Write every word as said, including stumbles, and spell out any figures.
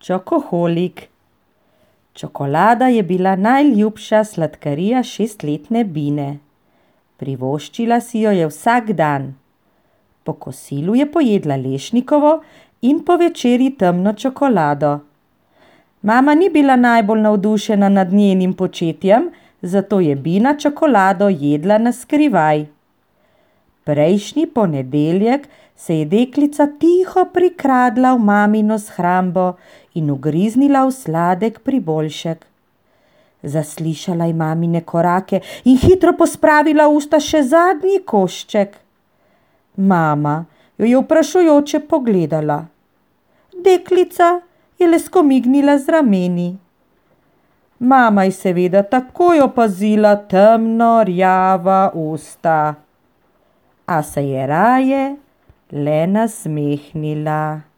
Čokoholik. Čokolada je bila najljubša sladkarija šestletne Bine. Privoščila si jo je vsak dan. Po kosilu je pojedla lešnikovo in po večerji temno čokolado. Mama ni bila najbolj navdušena nad njenim početjem, zato je Bina čokolado jedla na skrivaj. Prejšnji ponedeljek se je deklica tiho prikradla v mamino shrambo in ugriznila v sladek priboljšek. Zaslišala je mamine korake in hitro pospravila v usta še zadnji košček. Mama jo je vprašujoče pogledala. Deklica je le skomignila z rameni. Mama je seveda takoj opazila temno rjava usta, a se je raje le nasmehnila.